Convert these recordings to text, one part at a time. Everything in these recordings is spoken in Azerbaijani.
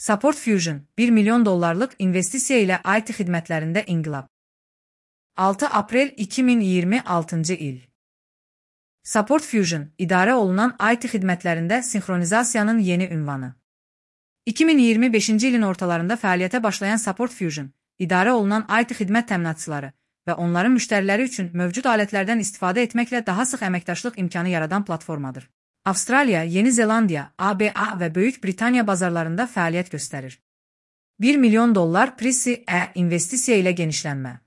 Support Fusion, $1 milyon investisiya ilə IT xidmətlərində inqilab. 6 aprel 2026 il. Support Fusion, idarə olunan IT xidmətlərində sinxronizasiyanın yeni ünvanı. 2025-ci ilin ortalarında fəaliyyətə başlayan Support Fusion, idarə olunan IT xidmət təminatçıları və onların müştəriləri üçün mövcud alətlərdən istifadə etməklə daha sıx əməkdaşlıq imkanı yaradan platformadır. Avstraliya, Yeni Zelandiya, ABA və Böyük Britaniya bazarlarında fəaliyyət göstərir. $1 milyon Pre-C investisiya ilə genişlənmə.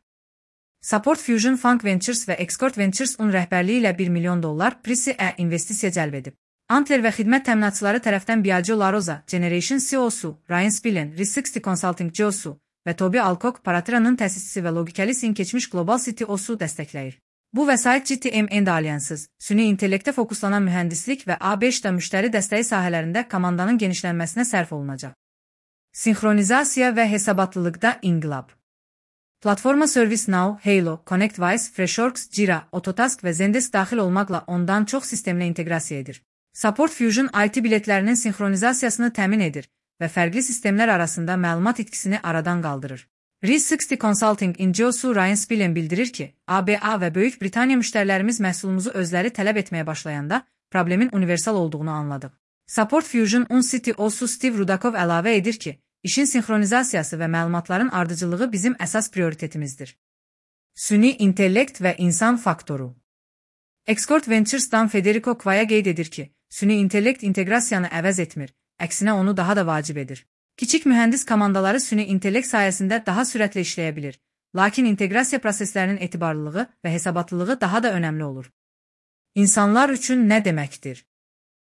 Support Fusion Funk Ventures və Escort Ventures-un rəhbərliyi ilə $1 milyon Pre-C investisiya cəlb edib. Antler və xidmət təminatçıları tərəfdən Biagio La Rosa, Generation CEO-su, Ryan Spillane, Risk60 Consulting CEO-su və Toby Alcock, Paratira'nın təsisçisi və Logicalis-in keçmiş Global CTO-su dəstəkləyir. Bu vəsait GTM Alliances, süni intellektə fokuslanan mühəndislik və A5-də müştəri dəstəyi sahələrində komandanın genişlənməsinə sərf olunacaq. Sinxronizasiya və hesabatlılıqda inqilab. Platforma ServiceNow, Halo, ConnectWise, Freshworks, Jira, Autotask və Zendesk daxil olmaqla ondan çox sistemlə inteqrasiya edir. Support Fusion IT biletlərinin sinxronizasiyasını təmin edir və fərqli sistemlər arasında məlumat itkisini aradan qaldırır. Risk60 Consulting CEO-su Ryan Spillane bildirir ki, ABA və Böyük Britaniya müştərilərimiz məhsulumuzu özləri tələb etməyə başlayanda problemin universal olduğunu anladıq. Support Fusion-un CTO-su Steve Rudakov əlavə edir ki, işin sinxronizasiyası və məlumatların ardıcıllığı bizim əsas prioritetimizdir. Süni intellekt və insan faktoru. Escort Ventures-dan Federico Quaya qeyd edir ki, süni intellekt inteqrasiyanı əvəz etmir, əksinə onu daha da vacib edir. Kiçik mühəndis komandaları süni intellekt sayəsində daha sürətlə işləyə bilir, lakin inteqrasiya proseslərinin etibarlılığı və hesabatlılığı daha da önəmli olur. İnsanlar üçün nə deməkdir?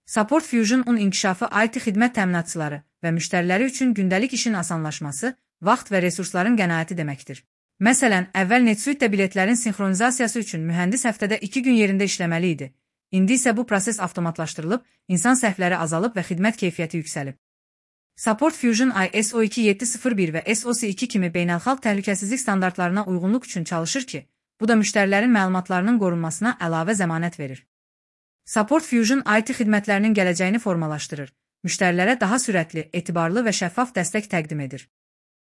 Support Fusion-un inkişafı IT xidmət təminatçıları və müştəriləri üçün gündəlik işin asanlaşması, vaxt və resursların qənaəti deməkdir. Məsələn, əvvəl NetSuite-də biletlərin sinxronizasiyası üçün mühəndis həftədə 2 gün yerində işləməli idi. İndi isə bu proses avtomatlaşdırılıb, insan səhvləri azalıb və xidmət keyfiyyəti yüksəlib. Support Fusion ISO 2701 və SOC 2 kimi beynəlxalq təhlükəsizlik standartlarına uyğunluq üçün çalışır ki, bu da müştərilərin məlumatlarının qorunmasına əlavə zəmanət verir. Support Fusion IT xidmətlərinin gələcəyini formalaşdırır, müştərilərə daha sürətli, etibarlı və şəffaf dəstək təqdim edir.